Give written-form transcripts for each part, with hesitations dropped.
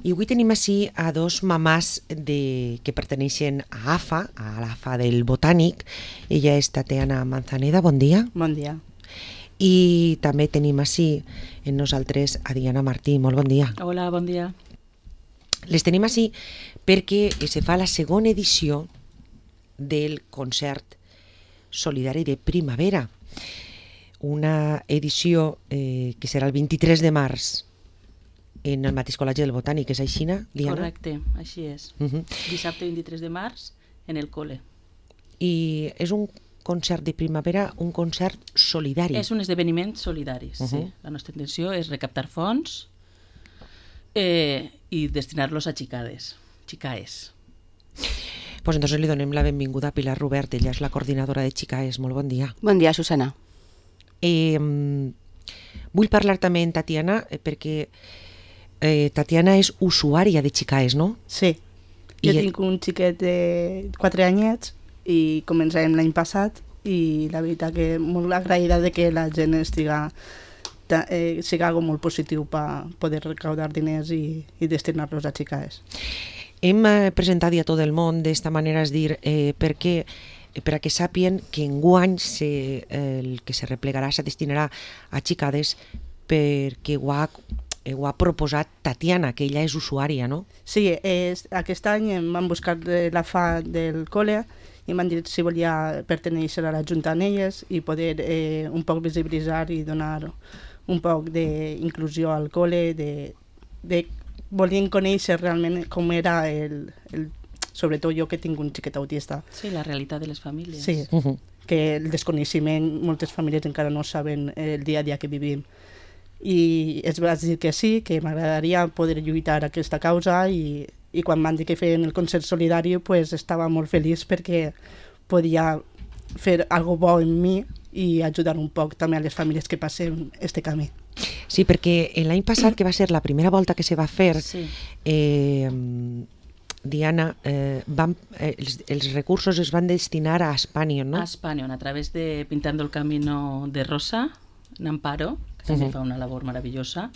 I avui tenim així a dos mamàs que perteneixen a AFA, a l'AFA del Botànic. Ella és Tatiana Manzaneda, bon dia. Bon dia. I també tenim així en nosaltres a Diana Martí, molt bon dia. Hola, bon dia. Les tenim així perquè se fa la segona edició del concert solidari de primavera. Una edició que serà el 23 de març en el mateix Col·legi del Botànic, és així, Diana? Correcte, així és. Dissabte 23 de març en el col·le. I és un concert de primavera, un concert solidari. És un esdeveniment solidari, sí. La nostra intenció és recaptar fons i destinar-los a xicaes. Pues entonces li donem la benvinguda a Pilar Robert, ella és la coordinadora de Xicaes. Molt bon dia. Bon dia, Susana. Vull parlar també amb Tatiana perquè Tatiana és usuària de Xicaes, no? Sí, jo tinc un xiquet de 4 anyets i començàvem l'any passat i la veritat que molt agraïda de que la gent siga algo molt positiu per poder recaudar diners i destinar-los a Xicaes. Hem presentat a tot el món d'esta manera, és dir, per a que sàpien que enguany el que se replegarà se destinarà a xicades perquè ho ha proposat Tatiana, que ella és usuària, no? Sí, aquest any em van buscar la FA del col·le i m'han dit si volia pertenèixer a la Junta amb elles i poder un poc visibilitzar i donar un poc d'inclusió al col·le, volien conèixer realment com era sobretot jo que tinc un xiquet autista. Sí, la realitat de les famílies. Sí, que el desconeixement, moltes famílies encara no saben el dia a dia que vivim. I es va dir que sí, que m'agradaria poder lluitar aquesta causa i quan van dir que feien el concert solidari pues estava molt feliç perquè podia fer algo bo en mi i ajudar un poc també a les famílies que passem este camí. Sí, perquè l'any passat, que va ser la primera volta que se va fer, sí. Diana, els recursos es van destinar a Espanyol, no? A Espanyol, a través de Pintando el Camino de Rosa, en Amparo, que també fa una labor meravellosa.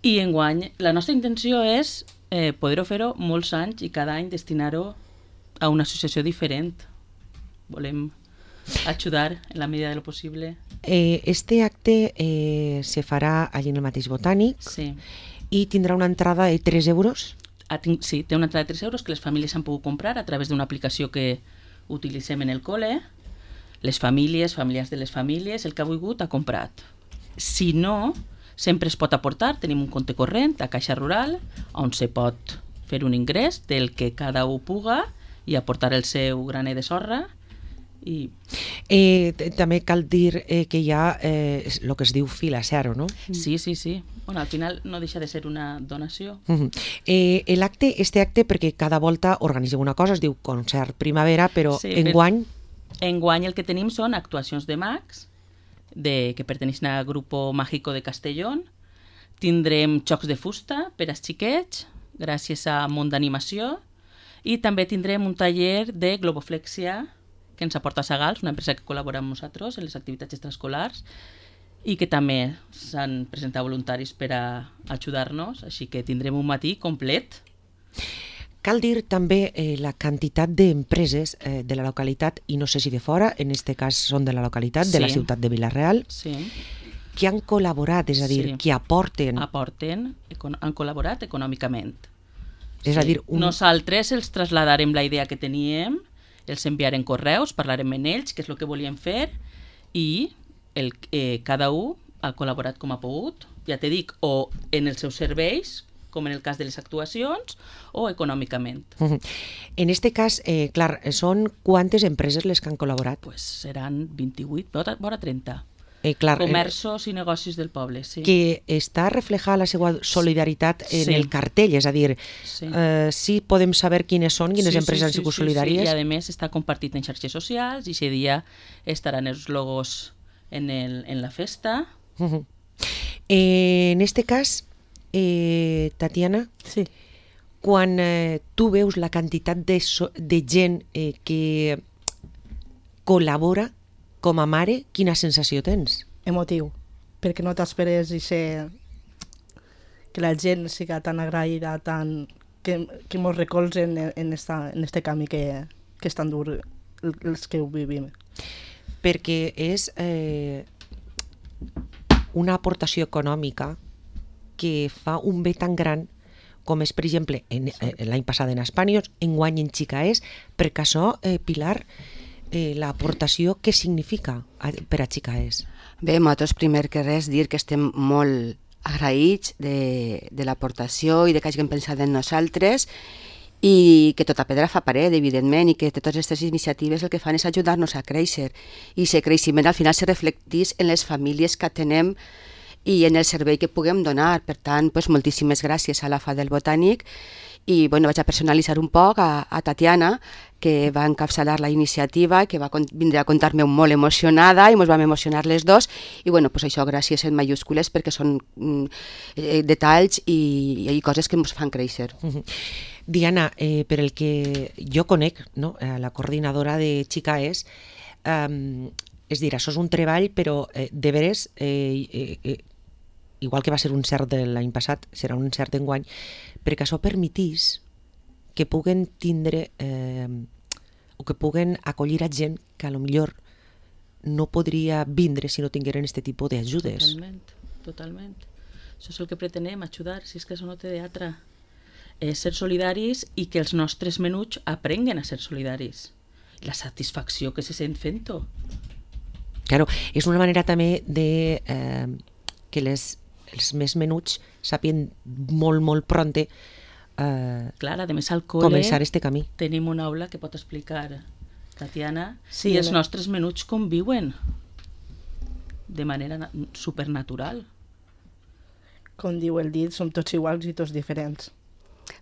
I enguany, la nostra intenció és poder-ho fer-ho molts anys i cada any destinar-ho a una associació diferent. Volem ajudar en la medida de lo possible. Este acte se farà allí en el mateix Botànic, sí. I tindrà una entrada de 3 euros? Sí, té una entrada de 3 euros que les famílies han pogut comprar a través d'una aplicació que utilitzem en el col·le. Les famílies, familiars de les famílies, el que ha volgut ha comprat. Si no, sempre es pot aportar, tenim un compte corrent a Caixa Rural on se pot fer un ingrés del que cada un puga i aportar el seu graner de sorra. També cal dir que hi ha el que es diu fil a zero, no? Sí. Bueno, al final no deixa de ser una donació. Este acte, perquè cada volta organitzeu una cosa, es diu Concert Primavera, però sí, enguany... Enguany el que tenim són actuacions de mags que perteneixen al Grupo Mágico de Castellón. Tindrem xocs de fusta per als xiquets, gràcies a Món d'Animació, i també tindrem un taller de globoflexia que ens aporta Sagals, una empresa que col·labora amb nosaltres en les activitats extraescolars i que també s'han presentat voluntaris per a ajudar-nos, així que tindrem un matí complet. Cal dir també la quantitat d'empreses de la localitat, i no sé si de fora, en aquest cas són de la localitat, de la ciutat de Vila-real, que han col·laborat, és a dir, que aporten. Han col·laborat econòmicament. És a dir, nosaltres els traslladarem la idea que teníem, els enviarem correus, parlarem amb ells, què és el que volien fer, i cada un ha col·laborat com ha pogut, ja t'he dit, o en els seus serveis, com en el cas de les actuacions, o econòmicament. En aquest cas, clar, són quantes empreses les que han col·laborat? Pues seran 28, vora 30. Comerços i negocis del poble, sí. Que està reflejada la seva solidaritat en el cartell, és a dir, sí podem saber quines són, quines empreses han sigut solidàries. I a més està compartit en xarxes socials i aquest dia estaran els logos en la festa. En aquest cas, Tatiana, quan tu veus la quantitat de gent que col·labora com a mare, quina sensació tens? Emotiu, perquè no t'esperes que la gent siga tan agraïda, que mos recolzen en este camí que és tan dur els que ho vivim. Perquè és una aportació econòmica que fa un bé tan gran com és, per exemple, l'any passat en Espanyol, enguany en Xicaès, perquè això, Pilar, l'aportació què significa per a Xicaès? Bé, nosaltres primer que res dir que estem molt agraïts de l'aportació i de que hagin pensat en nosaltres i que tota pedra fa paret, evidentment, i que totes aquestes iniciatives el que fan és ajudar-nos a créixer i aquest creixement al final se reflecteix en les famílies que atenem i en el servei que puguem donar. Per tant, moltíssimes gràcies a la FA del Botànic i vaig a personalitzar un poc a Tatiana, que va encapçalar la iniciativa, que va vindre a contar-me molt emocionada i ens vam emocionar les dos i això gràcies en mayúscules perquè són detalls i coses que ens fan créixer. Diana, per el que jo conec, no? La coordinadora de Xicaès, és dir, això és un treball, però de veres, igual que va ser un cert de l'any passat, serà un cert d'enguany, perquè això permetís que puguen tindre o que puguen acollir a gent que a lo millor no podria vindre si no tingueren aquest tipus d'ajudes. Totalment. Això és el que pretenem, ajudar, si és que això no té d'altra. Ser solidaris i que els nostres menuts aprenguen a ser solidaris. La satisfacció que se sent fent-ho. Claro, és una manera també de que els més menuts sàpien molt pronte clar, a més al col·le començar este camí. Tenim una aula que pot explicar Tatiana i els nostres menuts conviuen de manera supernatural. Com diu el dit, som tots iguals i tots diferents.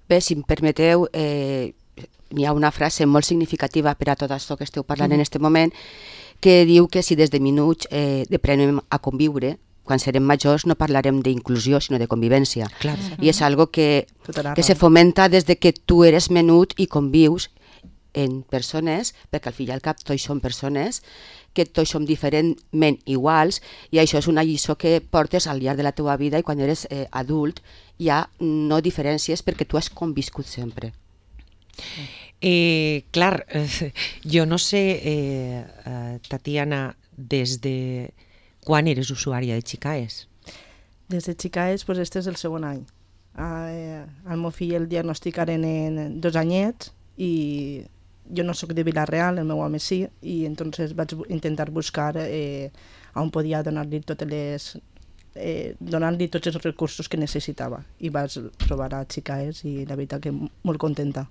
Bé, si em permeteu, hi ha una frase molt significativa per a tot això que esteu parlant en aquest moment, que diu que si des de minuts aprenem a conviure, quan serem majors no parlarem d'inclusió, sinó de convivència. Clar. I és algo que se fomenta des de que tu eres menut i convius en persones, perquè al fi i al cap tots som persones, que tots som diferentment iguals, i això és una lliçó que portes al llarg de la teva vida i quan eres adult ja no diferències perquè tu has conviscut sempre. Clar, jo no sé, Tatiana, des de quan eres usuària de Xicaès? Des de Xicaès, este és el segon any. Al meu fill el diagnosticaren en 2 anyets i jo no sóc de Vila-real, el meu home sí, i entonces vaig intentar buscar on podia donar-li donar-li tots els recursos que necessitava i vaig trobar a Xicaès i la veritat que molt contenta.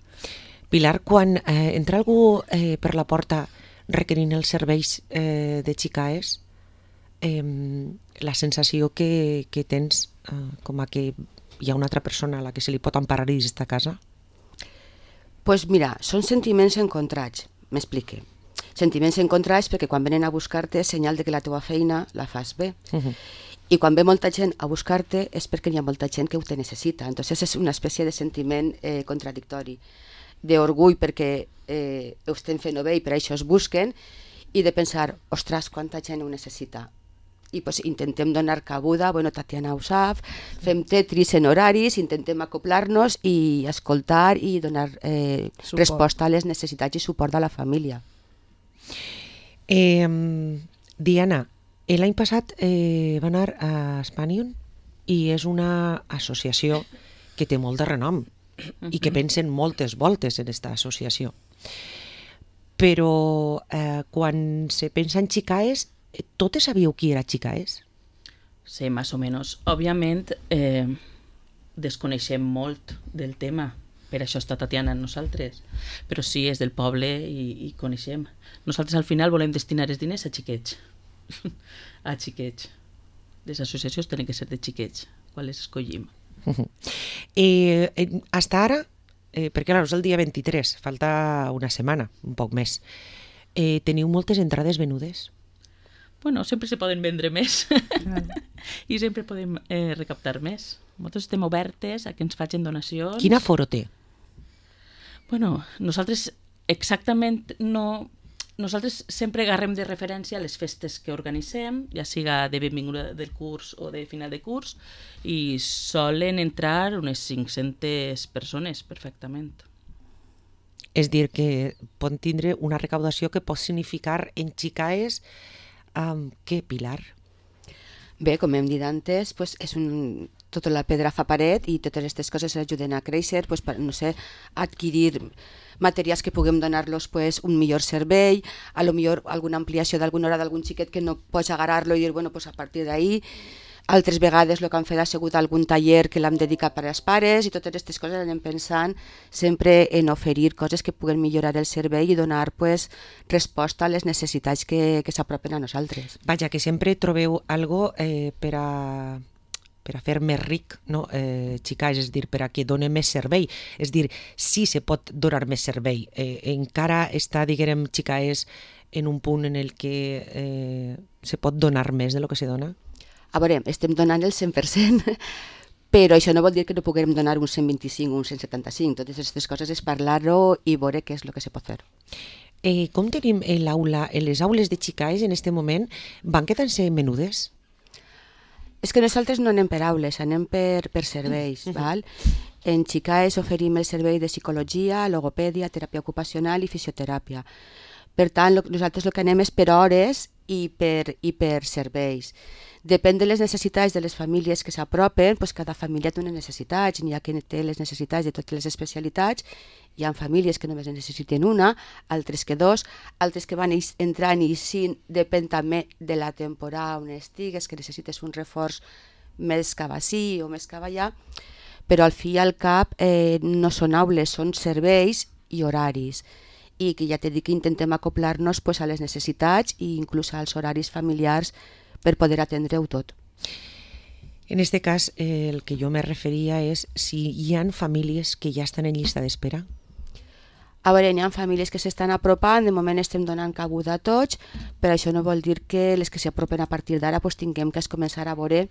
Pilar, quan entra algú per la porta requerint els serveis de Xicaès, la sensació que tens com a que hi ha una altra persona a la que se li pot emparar dins d'esta casa? Doncs mira, són sentiments encontrats, m'explique. Sentiments encontrats perquè quan venen a buscar-te és senyal de que la teva feina la fas bé. I quan ve molta gent a buscar-te és perquè hi ha molta gent que ho te necessita. Entonces és una espècie de sentiment contradictori, d'orgull perquè ho estem fent bé i per això es busquen, i de pensar, ostres, quanta gent ho necessita. I intentem donar cabuda, Tatiana ho sap, fem tetris en horaris, intentem acoplar-nos i escoltar i donar resposta a les necessitats i suport a la família. Diana, l'any passat va anar a Espanyol i és una associació que té molt de renom i que pensen moltes voltes en aquesta associació. Però quan se pensa en Xicaès, totes sabíeu qui era Xicaès? Sí, més o menys. Òbviament, desconeixem molt del tema, per això està Tatiana amb nosaltres, però sí, és del poble i coneixem. Nosaltres al final volem destinar els diners a xiquets. A xiquets. Les associacions tenen que ser de xiquets, quan les escollim. Hasta ara, perquè és el dia 23, falta una setmana, un poc més, teniu moltes entrades venudes? Bueno, sempre se poden vendre més i sempre podem recaptar més. Nosaltres estem obertes a que ens facin donacions. Quin aforo té? Bueno, nosaltres exactament no nosaltres sempre agarrem de referència les festes que organitzem, ja siga de benvinguda del curs o de final de curs, i solen entrar unes 500 persones perfectament. És dir, que pot tindre una recaudació que pot significar en Xicaes què, Pilar? Bé, com hem dit antes, pues tota la pedra fa paret i totes aquestes coses ajuden a créixer, pues, per, no sé, adquirir materials que puguem donar-los pues, un millor servei, a lo millor alguna ampliació d'alguna hora d'algun xiquet que no pots agarrar-lo i dir, bueno, pues a partir d'ahí. Altres vegades el que han fet ha sigut algun taller que l'hem dedicat per als pares i totes aquestes coses anem pensant sempre en oferir coses que puguen millorar el servei i donar pues, resposta a les necessitats que s'apropen a nosaltres. Vaja, que sempre trobeu algo per a fer més ric, no? Xicaes, és dir, per a que doni més servei. És dir, sí se pot donar més servei. Encara està, diguem, Xicaes en un punt en el que se pot donar més de lo que se dona? A veure, estem donant el 100%, però això no vol dir que no puguem donar un 125 o un 175. Totes aquestes coses és parlar-ho i veure què és el que se pot fer. Com tenim l'aula, les aules de Xicaes en aquest moment van quedant-se menudes? És que nosaltres no anem per aules, anem per serveis. Val? En Xicaes oferim el servei de psicologia, logopèdia, teràpia ocupacional i fisioteràpia. Per tant, nosaltres el que anem és per hores i per serveis. Depèn de les necessitats de les famílies que s'apropen, doncs cada família té unes necessitats, n'hi ha que té les necessitats de totes les especialitats, hi ha famílies que només en necessiten una, altres que dos, altres que van entrant i sí, depèn també de la temporada on estigues, que necessites un reforç més cap ací o més cap allà, però al fi i al cap no són aules, són serveis i horaris, i que ja t'he dit que intentem acoplar-nos pues, a les necessitats i inclús als horaris familiars per poder atendre-ho tot. En aquest cas, el que jo me referia és si hi ha famílies que ja estan en llista d'espera. A veure, hi ha famílies que s'estan apropant, de moment estem donant cabuda a tots, però això no vol dir que les que s'apropen a partir d'ara pues, tinguem que començar a veure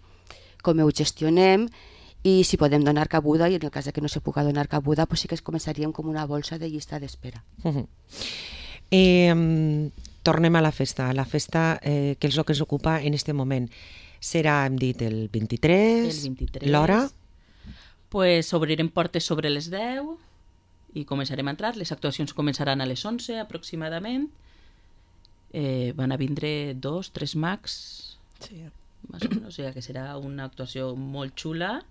com ho gestionem i si podem donar cabuda, i en el cas que no se pugui donar cabuda, pues sí que començaríem com una bolsa de llista d'espera. Tornem a la festa. La festa, que és el que ens ocupa en aquest moment. Serà, hem dit, el 23, l'hora? Pues obrirem portes sobre les 10 i començarem a entrar. Les actuacions començaran a les 11 aproximadament. Van a vindre 2-3 mags, Sí. més o menys, o sigui que serà una actuació molt xula,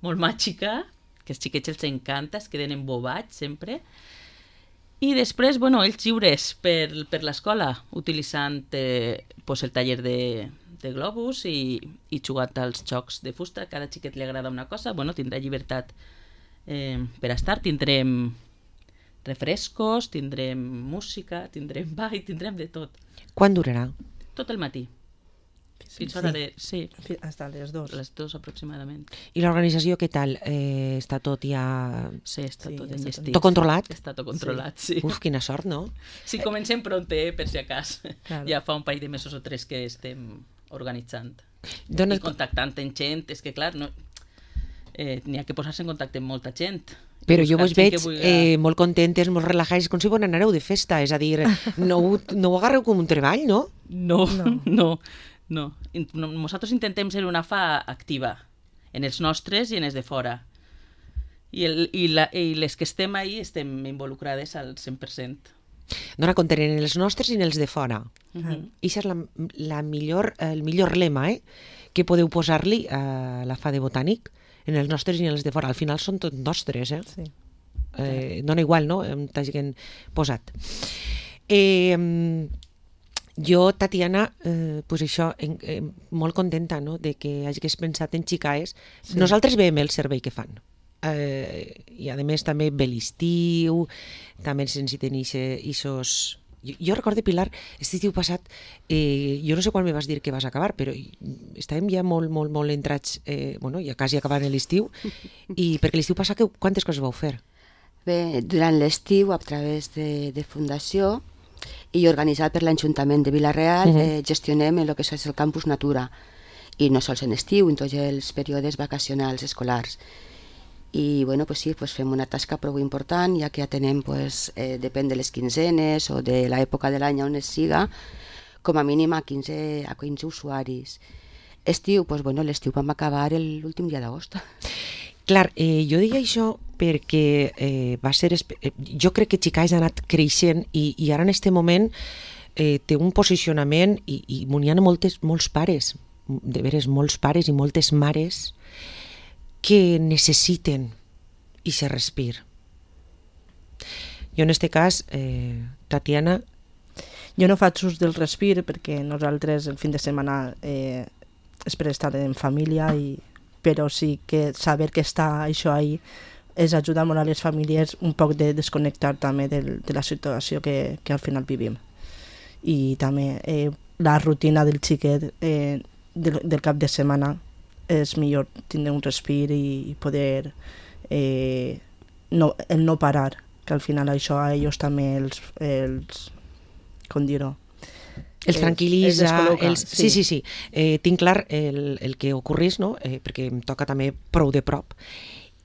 molt màgica, que als xiquets els encanta, es queden embobats sempre. I després, bueno, ells lliures per l'escola, utilitzant pues, el taller de globus i jugant als jocs de fusta. Cada xiquet li agrada una cosa, bueno, tindrà llibertat per estar. Tindrem refrescos, tindrem música, tindrem ball, tindrem de tot. Quan durarà? Tot el matí. Fins a sí. Hasta les 2. Les 2 aproximadament. I l'organització què tal? Està tot ja... Sí, està tot està enllestit. Tot controlat? Està tot controlat, sí. Uf, quina sort, no? Sí, comencem pronte, per si acas. Claro. Ja fa un parell de mesos o 3 que estem organitzant. Dones... I contactant amb gent. És que, clar, no, n'hi ha que posar-se en contacte amb molta gent. Però jo vos veig vulgui... molt contentes, molt relajades, com si vos n'anareu de festa. És a dir, no ho agarreu com un treball, no? No. Nosaltres intentem ser una fa activa en els nostres i en els de fora. I les que estem ahí estem involucrades al 100%. Dona compte en els nostres i en els de fora. I això és el millor lema que podeu posar-li a la fa de botànic, en els nostres i en els de fora. Al final són tots nostres, Sí. Dona igual, no? T'hagin posat. Jo, Tatiana, pues això, molt contenta, no?, de que hagis pensat en Xicaes. Sí. Nosaltres veiem el servei que fan. I a més també ve l'estiu, també ens necessiten ixos... Jo recordo, Pilar, aquest estiu passat, jo no sé quan me vas dir que vas acabar, però estàvem ja molt entrats, ja quasi acabant l'estiu, i perquè l'estiu passat quantes coses vau fer? Bé, durant l'estiu, a través de Fundació i organitzat per l'Ajuntament de Vila-real, gestionem el que és el Campus Natura, i no sols en estiu, en tots els períodes vacacionals escolars. i bueno, pues sí, pues fem una tasca prou important, ja que atenem, pues, depèn de les quinzenes o de l'època de l'any on es siga, com a mínim a 15 usuaris. Estiu, pues bueno, l'estiu vam acabar l'últim dia d'agost. Clar, jo dic això perquè va ser... jo crec que Xicais ha anat creixent i ara en este moment té un posicionament i n'hi ha molts pares, de veres molts pares i moltes mares que necessiten i se respir. Jo en este cas, Tatiana... Jo no faig ús del respir perquè nosaltres el fin de setmana és per estar en família, però sí que saber que està això ahí és ajudar molt a les famílies un poc de desconnectar també de la situació que al final vivim. I també la rutina del xiquet del cap de setmana és millor tindre un respir i poder no parar, que al final això a ells també els com dir-ho, els tranquil·litza, sí. Tinc clar el que ocorreix, no? Perquè em toca també prou de prop,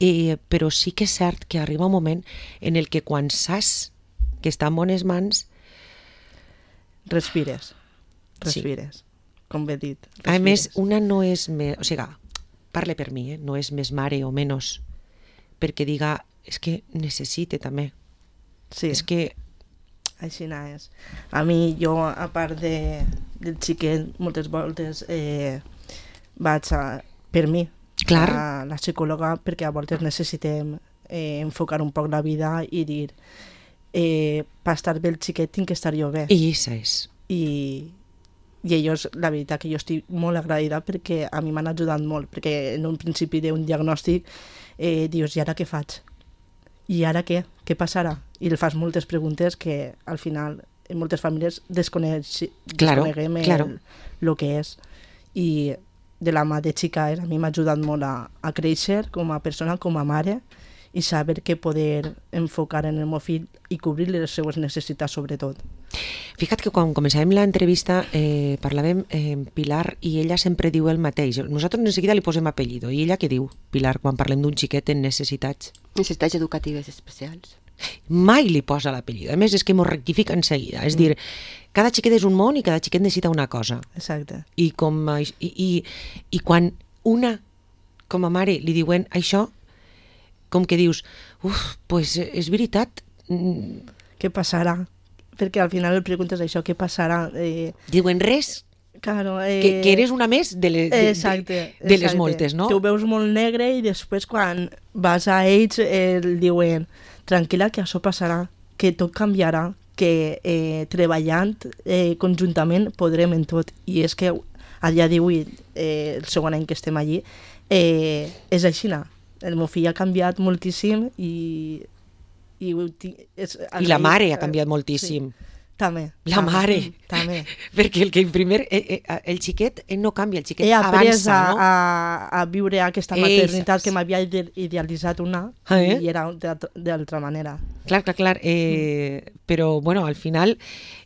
però sí que és cert que arriba un moment en el que quan saps que està en bones mans respires, sí. Com he dit. A més, una no és més, o sigui, parle per mi, no és més mare o menys, perquè diga, és que necessite també. Sí. És que així és. A mi, jo, a part del xiquet, moltes voltes vaig per mi, clar, a la psicòloga, perquè a voltes necessitem enfocar un poc la vida i dir per estar bé el xiquet tinc que estar jo bé. I això és. I ells, la veritat que jo estic molt agraïda perquè a mi m'han ajudat molt, perquè en un principi d'un diagnòstic dius, i ara què faig? I ara què? Què passarà? I li fas moltes preguntes que al final en moltes famílies desconeguem el que és. I de la mà de Xicais a mi m'ha ajudat molt a créixer com a persona, com a mare, i saber que poder enfocar en el meu fill i cobrir les seues necessitats sobretot. Fica't que quan començàvem l'entrevista parlàvem amb Pilar i ella sempre diu el mateix. Nosaltres de seguida li posem apellido. I ella què diu, Pilar, quan parlem d'un xiquet en necessitats? Necessitats educatives especials. Mai li posa l'apellido. A més, és que m'ho rectifica en seguida. És dir, cada xiquet és un món i cada xiquet necessita una cosa. Exacte. I quan una, com a mare, li diuen això, com que dius, pues és veritat. Què passarà? Perquè al final el preguntes això, què passarà? Diuen res, claro, que eres una més de les moltes, no? Tu ho veus molt negre i després quan vas a ells diuen, tranquil·la que això passarà, que tot canviarà, que treballant conjuntament podrem en tot. I és que a dia d'avui, el segon any que estem allí, és així. El meu fill ha canviat moltíssim i la mare ha canviat moltíssim. Sí, també. La mare. També. Perquè el xiquet no canvia, el xiquet avança, no? He après a viure aquesta maternitat que m'havia idealitzat i era d'altra manera. Clar. Però, bueno, al final,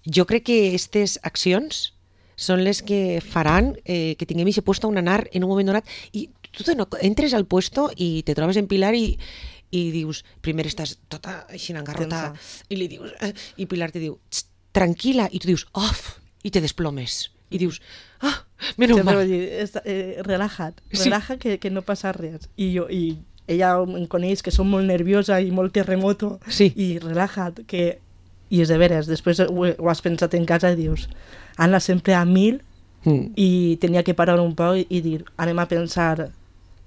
jo crec que aquestes accions són les que faran que tinguem aquest puesto on anar en un moment donat. I tu entres al puesto i te trobes en Pilar i dius, primer estàs tota així engarrotada i li dius, i Pilar te diu, tranquil·la, i tu dius, i te desplomes. I dius, menos mal. Relaja, que no passa res. I ella em coneix que som molt nerviosa i molt terremoto, i relaja't, i és de veres, després ho has pensat en casa i dius, Anna sempre a 1000, i tenia que parar un poc i dir, anem a pensar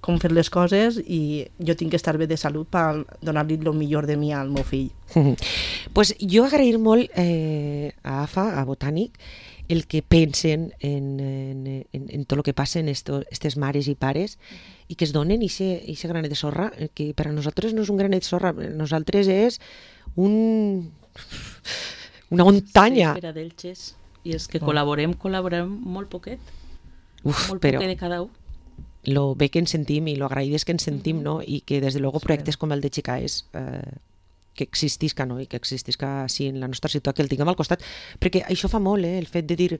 com fer les coses i jo tinc que estar bé de salut per donar-li el millor de mi al meu fill. Pues jo agrair molt a AFA, a Botànic, el que pensen en tot el que passa en aquestes mares i pares i que es donen aquest granet de sorra, que per a nosaltres no és un granet de sorra, per a nosaltres és una muntanya. Sí, per a d'ells. I és que col·laborem molt poquet. Molt però poquet de cada un. Lo bé que ens sentim i lo agraïdes que ens sentim, no? I que des de luego projectes com el de Xicais que existisca, no? I que existisca sí, en la nostra ciutat, que el tinguem al costat, perquè això fa molt, el fet de dir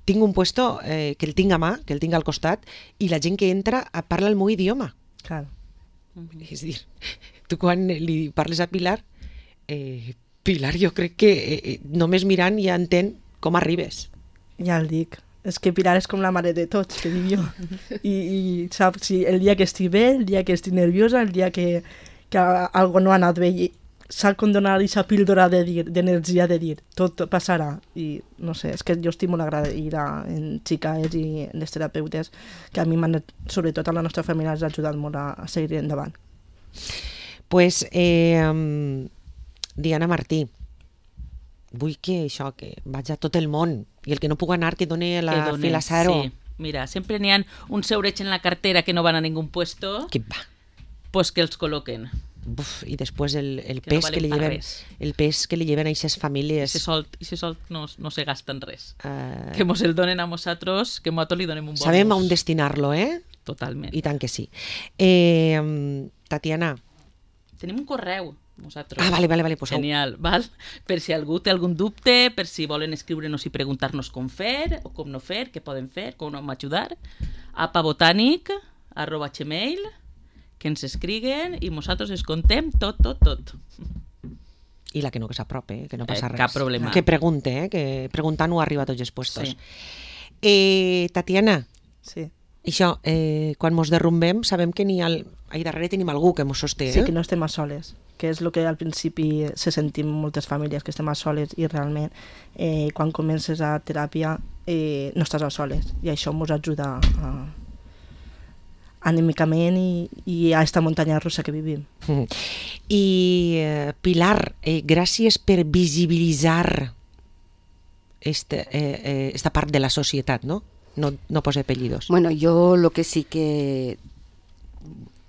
tinc un puesto que el tinc a mà, que el tinc al costat, i la gent que entra parla el meu idioma. Clar. És a dir, tu quan li parles a Pilar, Pilar jo crec que només mirant ja entén com arribes. Ja el dic. És que Pilar és com la mare de tots, que dic jo. I saps, si el dia que estic bé, el dia que estic nerviosa, el dia que algo no ha anat bé, i sap com donar aquesta píldora d'energia de dir, tot passarà. I no sé, és que jo estic molt agraïda en xiques i en les terapeutes, que a mi m'han, sobretot a la nostra família, ens ha ajudat molt a seguir endavant. Pues, Diana Martí, vull que això, que vaig a tot el món, i el que no puc anar que doni la Filasaro. Sí, mira, sempre n'hi ha uns eurets en la cartera que no van a ningún puesto, Que va. pues que els col·loquen. Uf, i després el Que no pes valen que li pa lleven, res. el pes que li lleven a aquestes famílies. Ese sol no se gasta en res. Que mos el donen a nosaltres, que nosaltres li donem un bonus. Sabem on destinar-lo, Totalment. I tant que sí. Tatiana. Tenim un correu, nosaltres. Ah, vale, pues Genial, val? Per si algú té algun dubte, per si volen escriure'ns i preguntar-nos com fer, o com no fer, què poden fer, com hem ajudar, apabotanic@gmail, que ens escriguen i nosaltres es contem tot. I la que no, que s'aprope, que no passa res. Cap problema. Que pregunte, que preguntant ho arriba a tots els puestos. Sí. Tatiana, Sí. això, quan mos derrumbem, sabem que ahí darrere tenim algú que mos sosté. Sí, que no estem a soles, que és el que al principi se sentim moltes famílies, que estem a soles, i realment quan comences a teràpia no estàs a soles, i això ens ajuda anímicament i a esta muntanya russa que vivim. I Pilar, gràcies per visibilitzar esta part de la societat, no? No posa apellidos. Bueno, jo el que sí que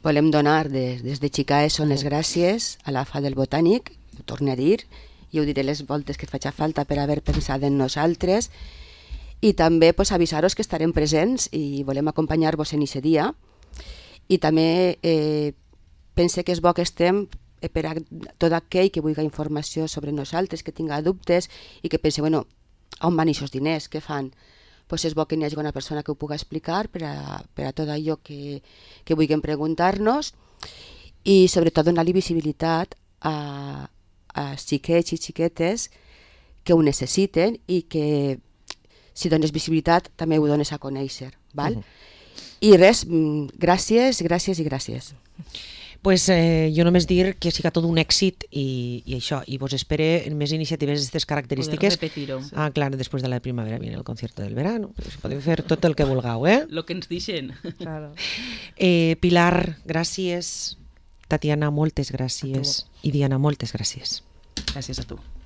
volem donar des de Xicaes són les gràcies a la FA del Botànic, ho torno a dir, i ho diré les voltes que faci falta per haver pensat en nosaltres, i també pues, avisar-vos que estarem presents i volem acompanyar-vos en aquest dia. I també pense que és bo que estem per a tot aquell que vulgui informació sobre nosaltres, que tinga dubtes i que pense, bueno, on van aquests diners, què fan? Pues és bo que n'hi hagi una persona que ho pugui explicar per a tot allò que vulguem preguntar-nos, i sobretot donar-li visibilitat a xiquets i xiquetes que ho necessiten, i que si dones visibilitat també ho dones a conèixer, val? I res, gràcies i gràcies. Pues jo només dir que siga tot un èxit i això, i vos espere en més iniciatives d'aquestes característiques. Poder repetir-ho. Ah, clar, després de la primavera viene el concierto del verano. Pues podem fer tot el que vulgueu, Lo que ens deixen. Claro. Pilar, gràcies. Tatiana, moltes gràcies. I Diana, moltes gràcies. Gràcies a tu.